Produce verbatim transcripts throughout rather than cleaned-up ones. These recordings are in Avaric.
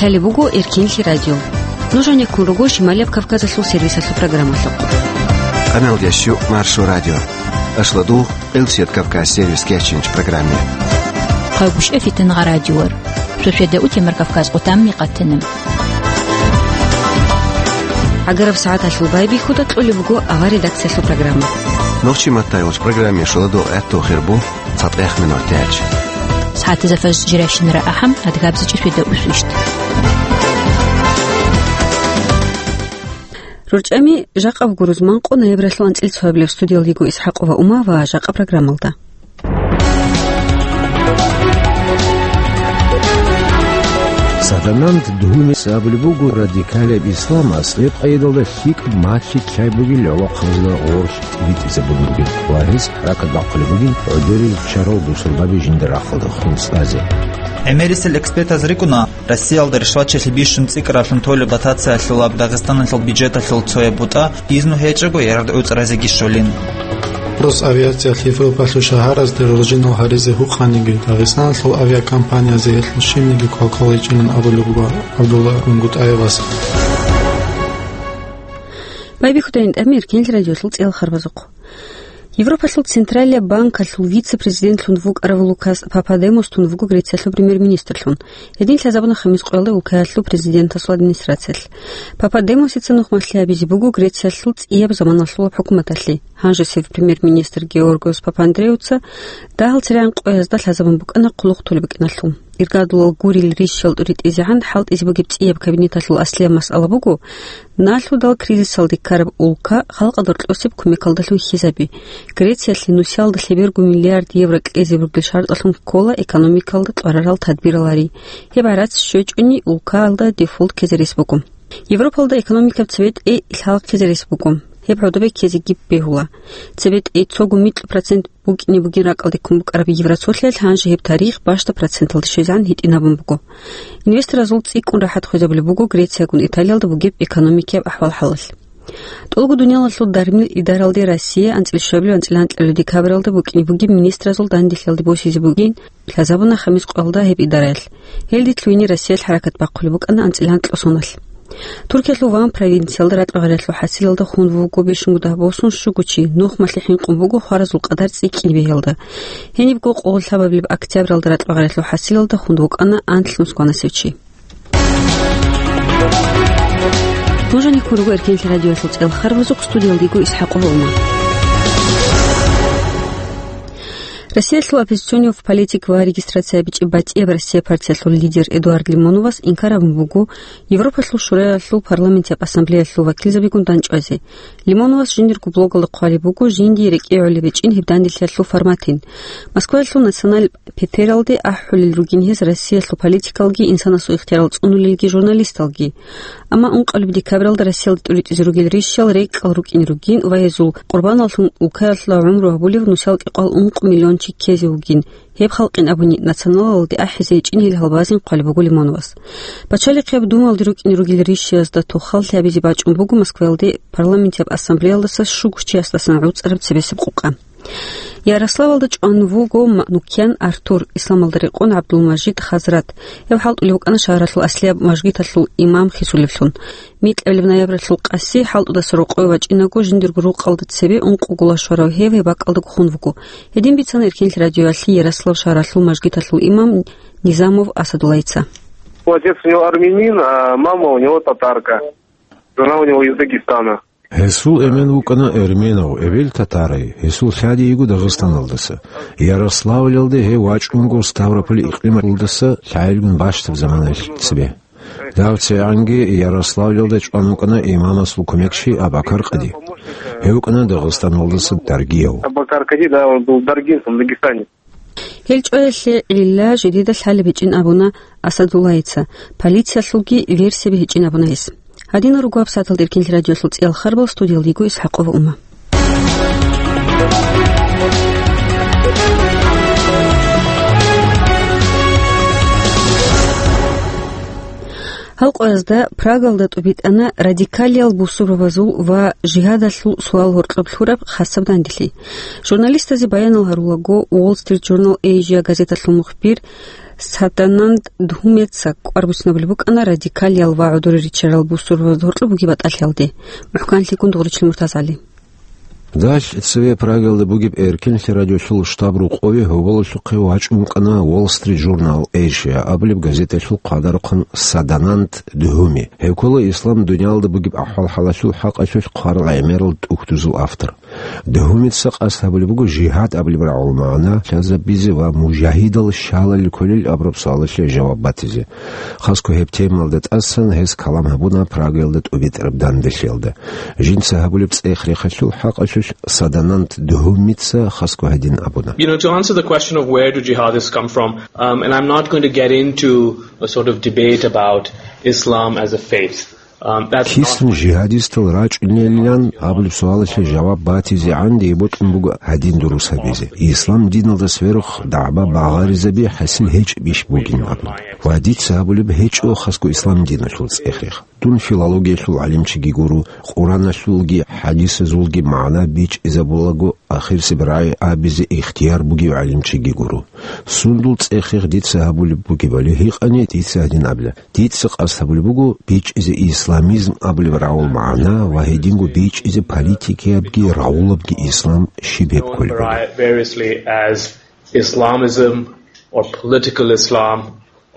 Лъалеб буго Эркенлъи радио. Нуж гьанеккун руго Шималияб Кавказалъул сервисалъул программалъухъ. Къаналдияс щу Маршо радио. Ашлодугъ, Элсият Кавказ сервис кечинч программе. Къагушев Фитнагъа радиор. Сосиада утемар Кавказ къутамми къатана. ГӀагараб сагӀаталъул байбихьуда кьолеб буго авар редакциялъул программа. Нохчи Маттаевич программе шоладо гӀатту хирбу. ЦатӀехъ минутач. СагӀатазда фажр жирашинара ахӀам, адгабзичӀи светда усвищ. РорчӀами жакъа буго рузман къо ноябралъул анцӀил цоабилеб. Студиялда йиго ИсхӀакъова Ума ва жакъа программалда. Садананд Дгьумис абулеб буго радикалияб исламас гьеб къайдалда лъикӀаб махьи лъай бугел гӀолохъабазда гъорлъ тӀибитӀизабулеб бугин ва гьез хӀаракат бахъулеб бугин гӀодорил чарал бусурбаби жинда рахъалда хун цӀазе. ГӀемерисел экспертаз рикӀкӀуна, Россиялда ришватчилъи бищун цӀикӀкӀаралъун толеб дотациялъулаб Дагъистаналъул бюджеталъул цояб бутӀа бизну гьечӀого яргъ гӀуцӀразеги щолин. Росавиациялъ Европалъул шагьаразде роржинал гьаризе гьукъаниги, Дагъистаналъул авиакомпаниязе гьелъул щибниги квалквал гьечӀилан абулеб буго ГӀабдулла Рунгутаевас. Байбихьудайин тӀамир кенил радиолъул цӀел харбазухъ. Европалъул Централияб банкалъул вице-президентлъун вукӀарав Лукас Пападемостун вуго Грециялъул премьер-министрлъун. Гьедин лъазабуна хамис къоялда улкаялъул президентасул администрациялъ. Пападемосица нухмалъи гьабизе буго Грециялъул цӀияб заманалъулаб хӀукуматалъе. Гьанжесев премьер-министр Георгиос Папандреуца дагьал церегӀан къоязда лъазабун букӀана хъулухъ толеб букӀиналъул. Иргадулал гурил рищал тӀуритӀизегӀан хӀалтӀизе бугеб цӀияб кабинеталъул аслияб масъала буго, налъудал кризисалде ккараб улка халкъалда рокьосеб кумекалдалъун хьизаби. Грециялъе нусиялда лъеберго миллиард евро кьезе бугел шартӀалъун ккола экономикалда кьварарал тадбирал гьари. Гьеб гӀарац щвечӀони, улкаялда дефолт ккезе рес буго. Европалда экономикаб цебетӀей лъалхъизе рес буго. Гьеб гӀодобе ккезеги бегьула. ЦебетӀей цого микьу процент букӀине бугин ракӀалде ккун букӀараб евроцолъиялъ гьанже гьеб тарих бащда проценталде щвезегӀан гьитӀинабун буго. Инвесторазул цӀикӀкӀун рахӀат хвезабулеб буго Грециягун Италиялда бугеб экономикияб ахӀвал-хӀалалъ. ТӀолго дуниялалъул дармил идаралде Россия анцӀил щвабилеб анцӀила анкьабилеб декабралда букӀине бугеб министразул данделъиялде босизе бугин лъазабуна хамис къоялда гьеб идараялъ. Гьелде лъугьине Россиялъ хӀаракат бахъулеб букӀана анцӀила анкьго соналъ. Туркиялъул Ван провинциялда ракьа-гъаралъул хӀасилалда хун вуго бищунго дагь босун щуго чи, нухмалъи хӀинкъун буго хваразул къадар цӀикӀкӀине бегьиялда. Гьенибго къоло лъабабилеб октябралда ракьа-гъаралъул хӀасилалда хун вукӀана анлънус кванасев чи. Нуж гьанеккун руго Эркенлъи радиоялъул цӀел харбазухъ, студиялда йиго ИсхӀакъова Ума. Россиялъул оппозиционный политик ва регистрация бичӀчӀи батӀияб Россия партиялъул лидер Эдуард Лимоновас инкар гьабун буго Европалъул Шураялъул парламентияб ассамблеялъул вакилзабигун дандчӀвазе. Лимоновас жиндирго блогалда хъвалеб буго жиндие рекӀее гӀолеб гьечӀин гьеб данделъиялъул форматин. Москваялъул национал петералде ахӀулел ругин гьез Россиялъул политикалги, инсанасул ихтиярал цӀунулелги, журналисталги. Амма ункъабилеб декабралда Россиялда тӀуритӀизе ругел рищал рекӀал рукӀин ругин ва гьезул къурбаналлъун улкаялда гӀумру гьабулев нусал кӀикъоялда ункъо миллион чи ккезе вугин. Гьеб халкъин абуни, националалде ахӀизе гьечӀин гьел гьалбазин хъвалеб буго Лимоновас. Пачалихъияб Думалде рукӀине ругел рищаязда тухал лъабизе бачӀун буго Москваялде парламентияб ассамблеялдаса щуго чиясдасан гӀуцӀараб цебесеб къукъа. Ярославалда чӀван вуго Манукян Артур, исламалда рекъон ГӀабдулмажид Хазрат. Гьев хӀалтӀулев вукӀана шагьаралъул аслияб мажгиталъул имам хисулевлъун. Микьабилеб ноябралъул къаси хӀалтӀудаса рокъове вачӀинаго, жиндирго рукъалда цебе ункъого лашварав гьев гьеб бакӀалдаго хун вуго. Гьедин бицана Эркенлъи радиоялъе Ярослав шагьаралъул мажгиталъул имам Низамов Асадуллайица. Отец у него армянин, а мама у него татарка. Жена у него из Дагестана. Гьесул эмен вукӀана эрменав, эбел татарай, гьесул лъади йиго Дагъистаналдаса. Ярославльалде гьев вачӀунго Ставрополь икълималдаса лъагӀелгун бащдаб заманаялъ цебе. Дав цевегӀанги Ярославльалда чӀван вукӀана имамасул кумекчи Абакар къади. Гьев вукӀана Дагъистаналдаса даргияв. Абакар Кади, да, он был даргинцем в Дагестане. Гьел чӀваялъе гӀилла жидеда лъалеб гьечӀин абуна Асадуллайица, полициялъулги версияби гьечӀин абуна гьес. Гьадинал руго гьабсагӀаталда Эркенлъи радиоялъул цӀиял харбал, студиялда йиго ИсхӀакъова Ума. Гьал къоязда Прагалда тӀубитӀана радикалиял бусурбабазул ва жигьадалъул суал-гьоркьоб лъураб хасаб данделъи. Журналистазе баянал гьарулаго, Wall Street Journal Asia газеталъул мухбир Садананд Дгьумица кӀвар буцинабулеб букӀана радикалиял ва гӀодорел риччарал бусурбабазда гьоркьоб бугеб батӀалъиялде. МухӀканлъикӀун Дугъричил МуртазгӀали. Далъ цеве Прагиялда бугеб Эркинлъи радиолъул штаб-рокъове гьоболалъухъе вачӀун вукӀана Wall Street Journal Asia абулеб газеталъул хъвадарухъан Садананд Дгьуми. Гьев ккола ислам дуниялалда бугеб ахӀвал-хӀалалъул хӀакъалъулъ хъварал гӀемерал тӀухьдузул автор. Дгьумица къасд гьабулеб буго жигьад абулеб рагӀул магӀна лъазабизе ва мужагьидал щалалил кколел абураб суалалъе жаваб батизе. Хасго гьеб темаялда тӀасан гьес калам гьабуна Прагаялда тӀубитӀараб данделъиялда. Жинца гьабулеб цӀех-рехалъул хӀакъалъулъ Садананд Дгьумица хасго гьадин абуна. You know, to answer the question of where do jihadists come from, um, and I'm not going to get into a sort of debate about Islam as a faith. Um, that's not Кисан жигьадистал рачӀунелилан абулеб суалалъе жаваб батизегӀан дие бокьун буго гьадин дурус гьабизе. Ислам диналда сверухъ дагӀба багъаризаби хӀасил гьечӀебищ бугин абун. Ва дица гьабулеб гьечӀо хасго ислам диналъул цӀех-рех. Дун филологиялъул гӀалимчиги гуро, Къураналъулги хӀадисазулги магӀна бичӀчӀизабулаго ахирсеб рагӀи абизе ихтияр бугев гӀалимчиги гуро. Сундул цӀех-рех дица гьабулеб бугебали гьикъани, дица гьадин абила. Дица къасд гьабулеб буго бичӀчӀизе исламизм абулеб рагӀул магӀна ва гьединго бичӀчӀизе политикиябги рагӀулабги ислам щиб гьеб кколебали. Variously as Islamism or political Islam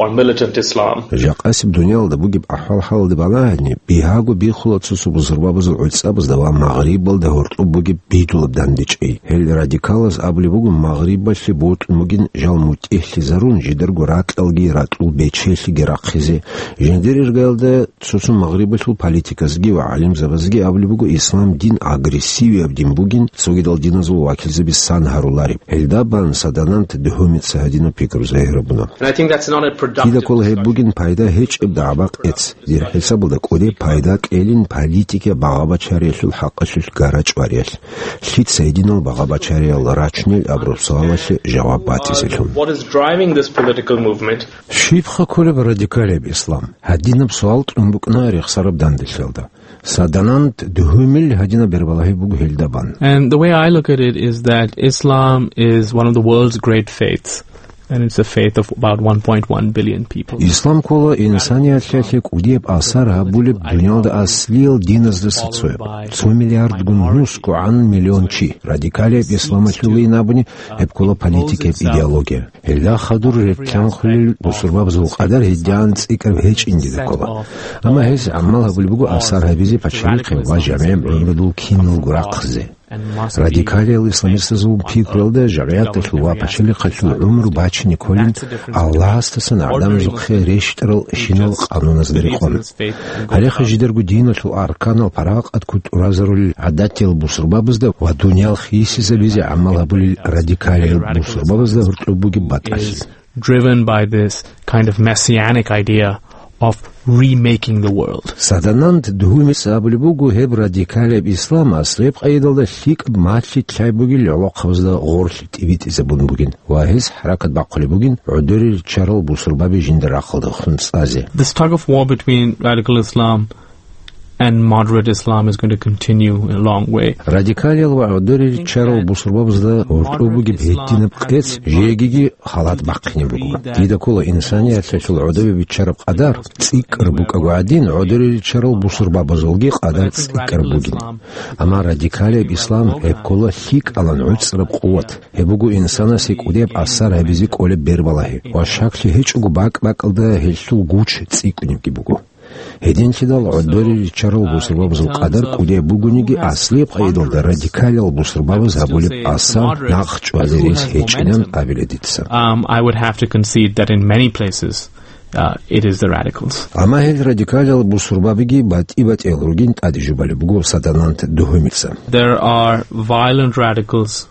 or militant Islam. Жакъасеб дуниялалда бугеб ахӀвал-хӀалалде балагьани, бигьаго бихула цо-цо бусурбабазул гӀуцӀабазда ва Магърибалда гьоркьоб бугеб бидулаб дандечӀей. Гьел радикалаз абулеб буго, Магърибалъе бокьун бугин жал мутӀигӀлъизарун, жидарго ракьалги ракьул бечелъиги рахъизе, жиндир иргаялда цо-цо Магърибалъул политиказги ва гӀалимзабазги абулеб буго, ислам дин агрессивияб дин бугин, цогидал диназул вакилзаби сан гьарулареб. Гьелда бан Садананд Дгьумица гьадинаб пикру загьир гьабуна. And I think that's not a productive Дида ккола гьеб discussion. Бугин пайда гьечӀеб дагӀба-къец. Дир хӀисабалда кӀудеб пайда кьелин политика багъа-бачариялъул хӀакъалъулъ гара-чӀвариялъ. Лъица гьединал багъа-бачариял рачунел абураб суалалъе жаваб батизелъун. What is driving this political movement? Щибха кколеб радикалияб ислам? Гьадинаб суал кьун букӀна рехсараб данделъиялда. Садананд Дгьумил гьадинаб бербалагьи буго гьелда бан. And the way I look at it is that Islam is one of the world's great faiths. And it's a faith of about one point one billion people. Ислам ккола инсаниялъе кӀудияб асар гьабулеб дуниялда аслиял диназдаса цояб. Цо миллиардгун нусгогӀан миллион чи. Радикалияб исламалъулин абуни, гьеб ккола политикияб идеология. Гьелда хадур релълъанхъулел бусурбабазул къадар гьедигӀан цӀикӀкӀараб гьечӀин дида ккола. Амма гьес гӀамал гьабулеб буго асар гьабизе пачалихъе ва жамигӀ гӀумрудул киналго рахъизе. Радикалиял исламистазул пикруялда жамигӀаталъул ва пачалихъалъул гӀумру бачине кколин Аллагьасдасан гӀадамазухъе рещтӀарал щинал къануназда рекъон. Гьалеха жидарго диналъул арканал паракъат кутӀуразарулел гӀадатиял бусурбабазда ва дуниял хисизабизе гӀамал гьабулел радикалиял бусурбабазда гьоркьоб бугеб батӀалъи. Driven by this kind of messianic idea of remaking the world. Садананд Дгьумица абулеб буго, гьеб радикалияб ислам аслияб къайдалда лъикӀаб малъи-лъай бугел гӀолохъабазда гъорлъи тӀибитӀизабун бугин ва гьес хӀаракат бахъулеб бугин гӀодорел риччарал бусурбаби жинда рахъалдехун цӀазе. This tug of war between radical Islam and moderate Islam is going to continue in a long way. Радикалиял ва гӀодорел риччарал бусурбабазда гьоркьоб бугеб гьединаб къец жегиги халат бахъине буго. Дида ккола инсаниялъулъ гӀодобе биччараб къадар цӀикӀкӀараб букӀаго гӀадин, гӀодорел риччарал бусурбабазулги къадар цӀикӀкӀараб бугин. Амма радикалияб ислам гьеб ккола лъикӀалан гӀуцӀраб къуват. Гьеб буго инсанасе кӀудияб асар гьабизе кӀолеб бербалагьи ва щаклъи гьечӀого бакӀ-бакӀалда гьелъул гуч цӀикӀкӀунебги буго. Гьединлъидал гӀодорел риччарал бусурбабазул къадар кӀудияб бугониги, аслияб къайдалда радикалиял бусурбабаз гьабулеб асар нахъ чӀвазе рес гьечӀинан абила дица. Um, I would have to concede that in many places, uh, it is the radicals. Амма гьел радикалиял бусурбабиги батӀи-батӀиял ругин тӀаде жубалеб буго Садананд Дгьумица. There are violent radicals.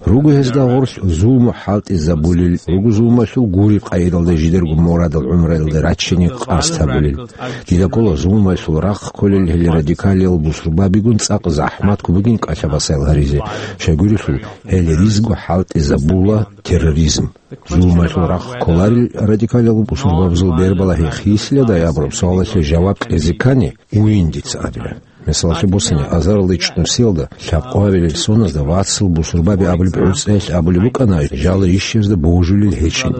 Руго гьезда гъорлъ зулму хӀалтӀизабулел, руго зулмалъул гуреб къайдалда жидерго мурадал гӀумруялда рачине къасд гьабулел. Дида ккола зулмалъул рахъ кколел гьел радикалиял бусурбабигун цӀакъ захӀматго бугин кӀалъа-басаял гьаризе. Щайгурелъул гьел ризго хӀалтӀизабула терроризм. Зулмалъул рахъ кколарел радикалиял бусурбабазул бербалагьи хисиладай абураб суалалъе жаваб кьезе ккани, уйин дица абила. Мисалалъе босани, азарилда чӀумсиялда лъабкъоябилел соназда вацал бусурбаби абулеб гӀуцӀиялъ абулеб букӀана жал рищазда божулел гьечӀин.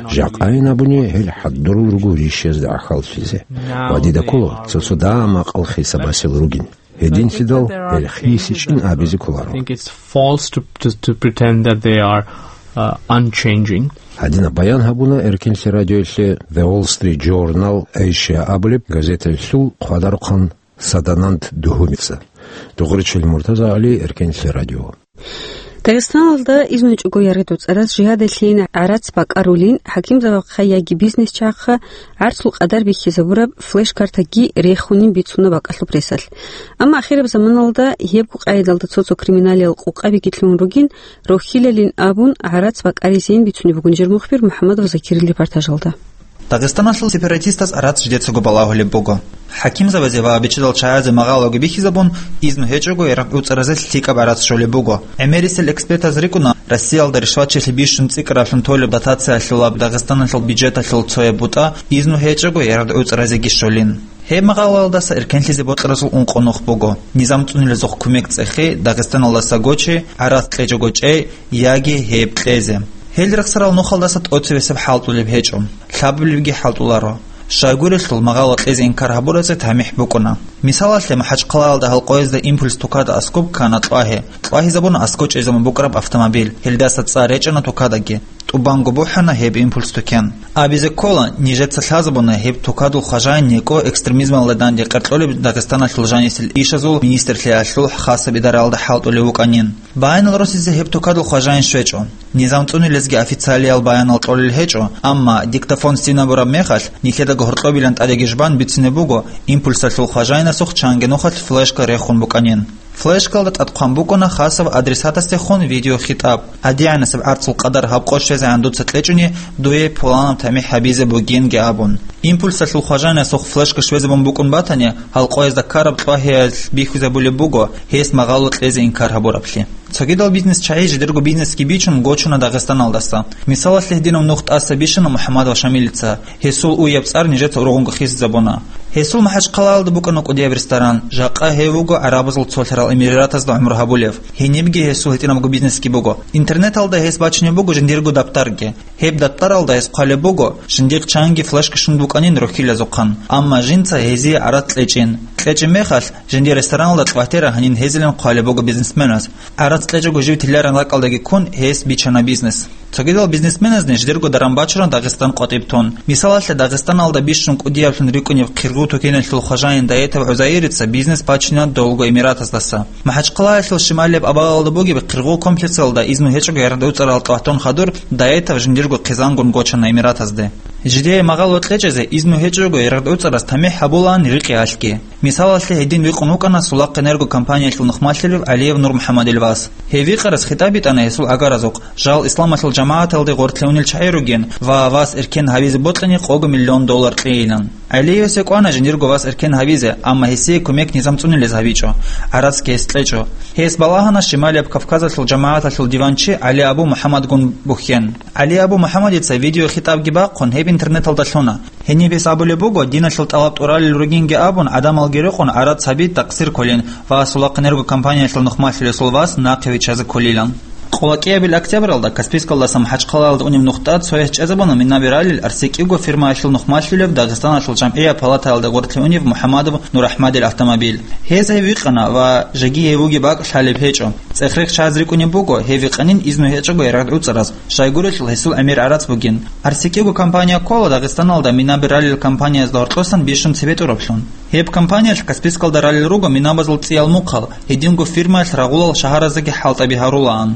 Жакъайин абуни, гьел хӀадурал руго рищазда гӀахьаллъизе. Ва дида ккола цо-цо дагьа макъал хисабасел ругин. Гьединлъидал гьел хисичӀин абизе кколаро. I think it's false to, to, to pretend that they are, uh, unchanging. Гьадинаб баян гьабуна Эркенлъи радиоялъе The Wall Street Journal Asia абулеб газеталъул хъвадарухъан Садананд Дугьумица. Дугъричил Муртаза Гьали, Эркенлъи радио. Дагъистаналда изну гьечӀого яргъи-дуцӀараз жигьадалъейин гӀарац бакӀарулин, хӀакимзабахъа яги бизнесчахъа гӀарцул къадар бихьизабураб флеш-картаги рехунин бицуна бакӀалъуб ресалъ. Амма ахираб заманалда гьебго къайдалда цо-цо криминалиял къукъабиги лъугьун ругин, рохьилалин абун гӀарац бакӀаризейин бицунеб бугин жер мухбир МухӀаммадов Закирил репортажалда. Дагъистаналъул сепаратистаз гӀарац жидецаго балагьулеб буго. ХӀакимзабазе ва бичӀчӀадал чагӀазе магъалаго бихьизабун, изну гьечӀого яргъ-дуцӀаразе лъикӀаб гӀарац щолеб буго. ГӀемерисел экспертаз рикӀкӀуна, Россиялда ришватчилъи бищун цӀикӀкӀаралъун толеб дотациялъулаб Дагъистаналъул бюджеталъул цояб бутӀа изну гьечӀого яргъ-дуцӀаразеги щолин. Гьеб магъалаялдаса эркенлъизе бокьаразул ункъо нух буго. Низам цӀунилазухъ кумек цӀехи, Дагъистаналдаса гочи, гӀарац кьечӀого чӀей, яги гьеб кьезе. Гьел рехсарал нухалдаса тӀоцебесеб хӀалтӀулеб гьечӀо, лъабабилебги хӀалтӀуларо. Щайгурелъул магъало кьезе инкар гьабуразе тамихӀ букӀуна. Мисалалъе, МахӀачхъалаялда гьалкъоязда импульс тукада аскӀоб ккана Кьвагьиялъ. Кьвагьиялъ абуна аскӀоб чӀезабун букӀараб автомобиль, гьелдаса цӀар речӀана тукадаги. ТӀубанго бухӀана гьеб импульс тукен. Абизе ккола, нижеца лъазабуна гьеб тукадул хважаин некӀо экстремизмалда данде къеркьолеб Дагъистаналъул жанисел ишазул министрлъиялъул хасаб идараялда хӀалтӀулев вукӀанин. Баянал росизе гьеб тукадул хважаин щвечӀо. Низам цӀунилезги официалиял баянал кьолел гьечӀо, амма диктофон сцена бураб мехалъ, нилъедаго гьоркьобилан тӀадеги жбан бицине буго, импульсалъул хважаинасухъ чанги нухалъ флешка рехун букӀанин. Флешкалда тӀад хъван букӀуна хасаб адресатасдехун видеохитӀаб: «ГьадигӀанасеб гӀарцул къадар гьаб къо щвезегӀан дуца кьечӀони, дуе пуланаб тамихӀ гьабизе бугинги», – абун. Импульсалъул хважаинасухъ флешка щвезабун букӀун батани, гьалкъоязда ккараб Кьвагьиялъ бихьизабулеб буго гьес магъало кьезе инкар гьабураблъи. Цогидал бизнесчагӀи жидерго бизнесги бичун гочуна Дагъистаналдаса. Мисалалъе, гьединаб нух тӀаса бищана МухӀаммадов Шамилица. Гьесул уяб цӀар нижеца ургъунго хисизабуна. Гьесул МахӀачхъалаялда букӀана кӀудияб ресторан, жакъа гьев вуго ГӀарабазул Цолъарал Эмиратазда гӀумру гьабулев. Гьенибги гьесул гьитӀинабго бизнесги буго. Интернеталда гьес бачунеб буго жиндирго даптарги. Гьеб даптаралда гьес хъвалеб буго, жиндир чанги флешка щун букӀанин рохьилазухъан, амма жинца гьезие гӀарац кьечӀин. КьечӀеб мехалъ, жиндир рестораналда квартира гьанин гьезилан хъвалеб буго бизнесменас. ГӀарац кьечӀого жив тиларан ракӀалдаги ккун, гьес бичана бизнес. Цогидал бизнесменазни жидерго даран бачуна Дагъистан къватӀиб тун. Мисалалъе, Дагъистаналда бищун кӀудияблъун рикӀкӀунеб Хиргъу тукеналъул хважаин Даетов ГӀузайрица бизнес бачина долго Эмиратаздаса. МахӀачхъалаялъул шималияб абаалда бугеб Хиргъу комплексалда изну гьечӀого яргъ-дуцӀарал тӀватун хадур, Даетов жиндирго хъизангун гочана Эмиратазде. Жидее магъало кьечӀезе изну гьечӀого яргъ-дуцӀараз тамихӀ гьабулаан рикъиялъги. Мисалалъе, гьедин викъун вукӀана Сулахъэнерго компаниялъул нухмалъулев ГӀалиев Нурмухьамадил вас. Гьев викъарас хитӀаб битӀана гьесул агаразухъ, жал исламалъул жамагӀаталде гъоркьлъунел чагӀи ругин ва вас эркен гьабизе бокьани къого миллион доллар кьейилан. ГӀалиевасе кӀвана жиндирго вас эркен гьабизе, амма гьесие кумек низам цӀунилез гьабичӀо, гӀарацги гьес кьечӀо. Гьес балагьана Шималияб Кавказалъул жамагӀаталъул диванчи ГӀали Абу МухӀаммадгун бухьен. ГӀали Абу МухӀаммадица видеохитӀабги бахъун гьеб интернеталда лъуна. Гьениб гьес абулеб буго, диналъул тӀалаб тӀуралел ругинги абун, гӀадамалги рекъон гӀарац гьаби такъсир кколин ва Сулахъэнерго компаниялъул нухмалъулесул вас нахъе виччазе кколилан. Къоло кӀиабил октябралда Каспийскалдаса МахӀачхъалаялда унеб нухда цояс чӀезабуна минаби ралел АрсекӀиго фирмаялъул нухмалъулев Дагъистаналъул жамгӀияб палатаялда гъоркье унев МухӀаммадов Нурахмадил автомобиль. Гьез гьев вихъана ва жеги гьев вугеб бакӀ лъалеб гьечӀо. ЦӀех-рех чаз рикӀкӀунеб буго, гьев вихъанин изну гьечӀого яргъ-дуцӀараз, щайгурелъул гьесул гӀемер гӀарац бугин. АрсекӀиго компания ккола Дагъистаналда минаби ралел компаниязда гьоркьосан бищун цебетӀураблъун. Гьеб компаниялъ Каспийскалда ралел руго минабазул цӀиял мухъал, гьединго фирмаялъ рагъулал шагьараздаги хӀалтӀаби гьарулаан.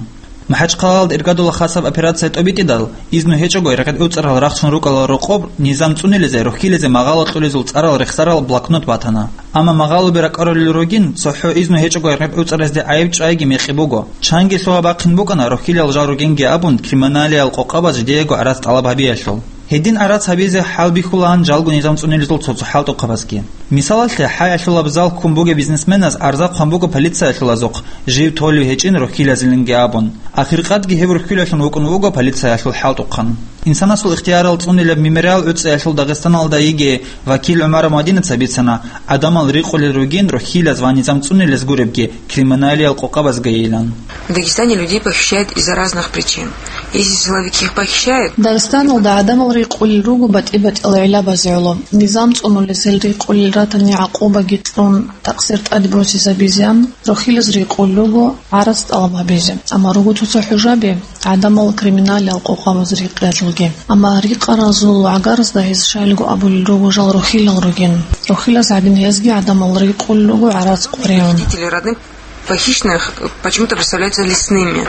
МахӀачхъалаялда иргадула хасаб операция тӀобитӀидал, изну гьечӀого яргъ-дуцӀарал рахчун рукӀарал рокъоб низам цӀунилезе, рохьилезе магъало кьолезул цӀарал рехсарал блокнот батана. Амма магъалоби ракӀарулел ругин, цохӀо изну гьечӀого яргъ-дуцӀаразде гӀайиб чӀвайги мекъи буго. Чанги лъугьа-бахъин букӀана рохьилал жал ругинги абун, криминалиял къокъабаз жидеего гӀарац тӀалаб гьабиялъул. Гьедин гӀарац гьабизе хӀалбихьулаан жалго низам цӀунилезул цо-цо хӀалтӀухъабазги. Мисалалъе, хӀай алъулаб зал ккун бугеб бизнесменаз арза хъван буго полициялъул азухъ, жив толев гьечӀин рохьилазилинги абун. Ахиркъадги гьев рохьилалъун вукӀун вуго полициялъул хӀалтӀухъан. Инсанасул ихтиярал цӀунилаб мемориал ГӀуцӀиялъул Дагъистаналда йигей вакил ГӀумаров Мадинаца бицана, гӀадамал рикъулел ругин рохьилаз ва низам цӀунилез гуребги криминалиял къокъабазгайилан. В Дагестане людей похищают из-за разных причин. Есть силовики, их похищают. Дагъистаналда гӀадамал рикъулел руго батӀи-батӀиял гӀиллабазе гӀоло. Низам цӀунулез гьел рикъулел ратани гӀакъубаги кьун, такъсир тӀаде босизабизеян, рохьилаз рикъулел руго гӀарац тӀалаб гьабизе. Амма руго цо-цо хӀужаби гӀадамал криминалиял къокъабаз рикъиялъулги. Амма рикъаразул гӀагарзда гьез щайилго абулел руго жал рохьилал ругин. Рохьилаз гьадин гьезги гӀадамал рикъулел руго гӀарац къваригӀун. Родители родных похищенных почему-то представляются лесными.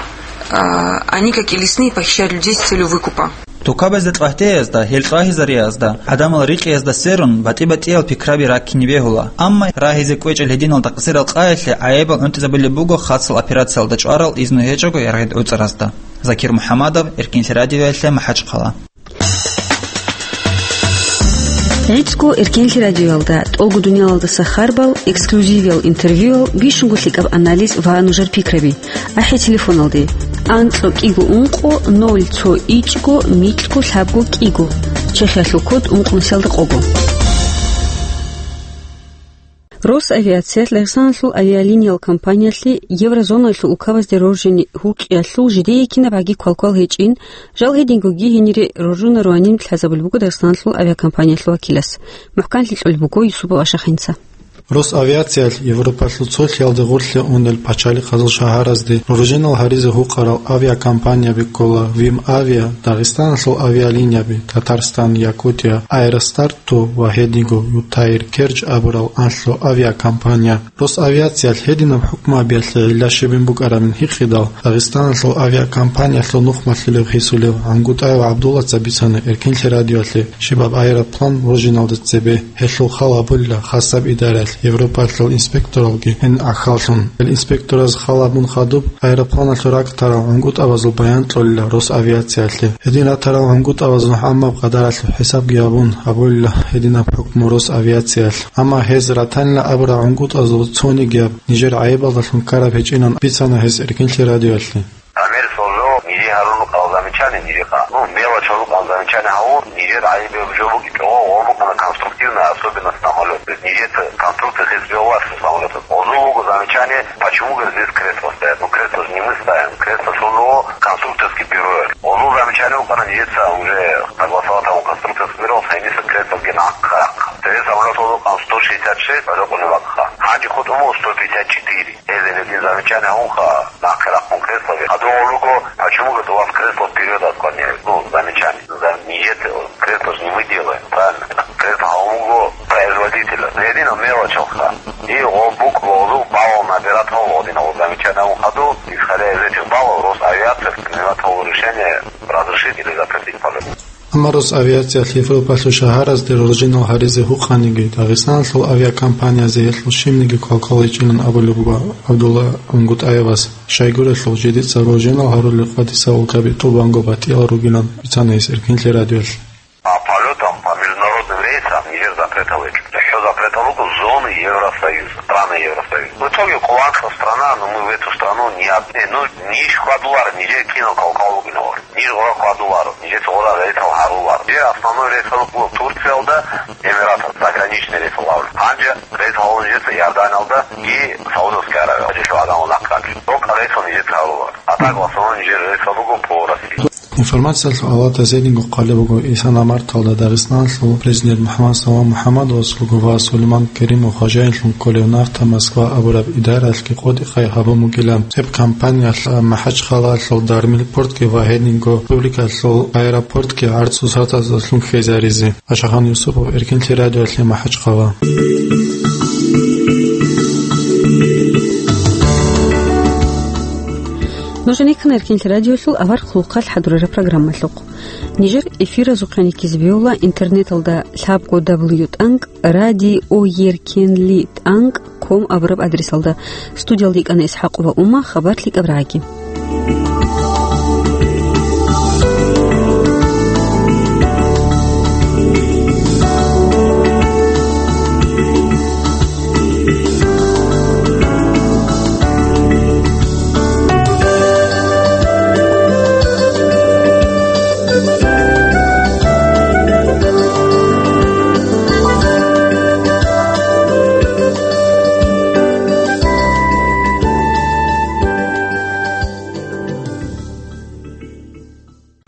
А, они, как и лесные, похищают людей с целью выкупа. Тукабазда кьвагьтеязда, гьел кьвагьизариязда, гӀадамал рикъиязда сверун, батӀи-батӀиял пикраби раккине бегьула. Амма рагьизе кӀвечӀел гьединал такъсирал къаялъе гӀайибал гӀунтӀизабулеб буго хасал операциялда чӀварал изну гьечӀого яргъид гӀуцӀаразда. Закир МухӀаммадов, Эркинлъи радиоялъе, МахӀачхъала. ГӀицӀго Эркенлъи радиоялда, тӀолго дуниялалдаса харбал, эксклюзивиял интервьюял, бищунго лъикӀаб анализ ва нужер пикраби. АхӀи телефоналде: анкьго кӀиго ункъо ноль цо ичӀго микьго лъабго кӀиго. Чехиялъул код ункънусиялда къого. Росавиациялъ Дагъистаналъул авиалиниял компаниялъе еврозонаялъул улкабазде роржине гьукъиялъул жидее кинабгӀаги квалквал гьечӀин, жал гьединго гьенире роржунаруанин лъазабулеб буго Дагъистаналъул авиакомпаниялъул вакилас. МухӀканлъи кьолеб буго Юсупов Ашахъинца. Росавиациялъ Европалъул цолъиялде гъорлъе унел пачалихъазул шагьаразде роржинал гьаризе гьукъарал авиакомпанияби ккола: Вим Авиа, Дагъистаналъул авиалинияби, Татарстан, Якутия, Аэростар, то ва гьединго Ютаир Керч абурал анлъго авиакомпания. Росавиациялъ гьединаб хӀукмугьабиялъе гӀилла щибин букӀарабин гьикъидал, Дагъистаналъул авиакомпаниялъул нухмалъулев гьесулев ГӀунгутӀаев ГӀабдуллаца бицана Эркинлъи радиоялъе щибаб аэроплан роржиналде цебе. Гьелъул хал гьабулила хасаб идараялъ Европалъул инспекторалги гьениб гӀахьаллъун. Гьел инспектораз хал гьабун хадуб, аэропланалъул ракӀ тарал гӀунгутӀабазул баян кьолила Росавиациялъе. Гьедин ратарал гӀунгутӀабаз нухӀамаб къадаралъул хӀисабги гьабун, гьабулила гьединаб хӀукму Росавиациялъ. Амма гьез ратанила абурал гӀунгутӀазул цонигияб нижер гӀайибалдалъун ккараб гьечӀинан бицана гьес Эркинлъи радиоялъе. Гьанир соржо ниже гьарун рукъал замечание нижехъа. Ну, мелочь рукъал замечание гьавур, нижер гӀайиб жо бугеб чӀого гъоркьана конструктивная особенность самолёт. Нижеца конструкция хес виоллаш самолёта. Гъозул буго замечание, почему, говорит, здесь кресло стоят? Ну, кресло же не мы ставим, кресло соржо конструкторский бюро. Гъозул замечание вукъана нижеца уже согласовать гьавун конструкторский бюро, гьениса кресло гьенахъа. Цеве самолёт гъозул къан сто шестьдесят шесть, рокъуни вакъа. Гьанже хутӀун буго сто пятьдесят четыре. Гьезие гьедин замечание гьавунха, нахъе рахъун креслоги. Гьадин гьорго, почему, говорит, у вас кресло вперёд отклоняют? Ну, замечание. Зам-, нижеца кресло же не мы делаем, правильно? Кресло гьавун буго производителя. Гьединал мелочалха. И гъо-, букӀ гъозул балал набират гьавун гьединал замечание гьавун хадур, исходя из этих баллов, Росавиация принимает решение разрешить или запретить полёт. Амма Росавиациялъ Европалъул шагьаразде роржинал гьаризе гьукъаниги, Дагъистаналъул авиакомпаниязе гьелъул щибниги квалквал гьечӀилан абулеб буго ГӀабдулла ГӀунгутӀаевас. Щайгурелъул жидеца роржинал гьарулел къватӀисал улкаби тӀубанго батӀиял ругилан бицана гьес Эркинлъи радиоялъ. По полётам, по международным рейсам нижер запретал гьечӀо. ЦохӀо запретал руго зоны Евросоюза, страны Евросоюза. В итоге къуланхъа страна, ну, мы в эту страну не от-, э, ну, ниж хьвадуларо, нижер кинал квалквал бугин гьавур. Ниж гъора хьвадуларо, нижеца гъора рейсал гьаруларо. Нижер основной рейсал буго Турциялда, Эмираталда, заграничный рейсал гьавур. Гьанже рейсал гьавула нижеца Иорданиялда и Саудовская Аравия. Гьанже гьадинал нахъ гьанже. Только рейсал нижеца гьаруларо. А так в основном нижер рейсал буго по России. Информациялъул авлатас гьединго хъвалеб буго, исана марталда Дагъистаналъул президент МухӀаммад Салам МухӀаммадовас руго ва Сулейман Керимов хважаинлъун кколев «Нафта Москва» абураб идараялъги къотӀи-къай гьабун бугилан, гьеб компаниялъ МахӀачхъалаялъул Дармил портги ва гьединго республикалъул аэропортги гӀарцусатазалъун хьезаризе. Ашахан Юсупов, Эркинлъи радиоялъе, МахӀачхъала. Нуж гьенеккана Эркинлъи радиоялъул авар хъулухъалъ хӀадурараб программалъухъ. Нижер эфиразухъе гьаниб ккезе бегьула интернеталда лъабго дабл ю тӀанкӀ радио Эркенлъи тӀанкӀ ком абураб адресалда. Студиялда йикӀана ИсхӀакъова Ума, хабар лъикӀаб рагӀаги.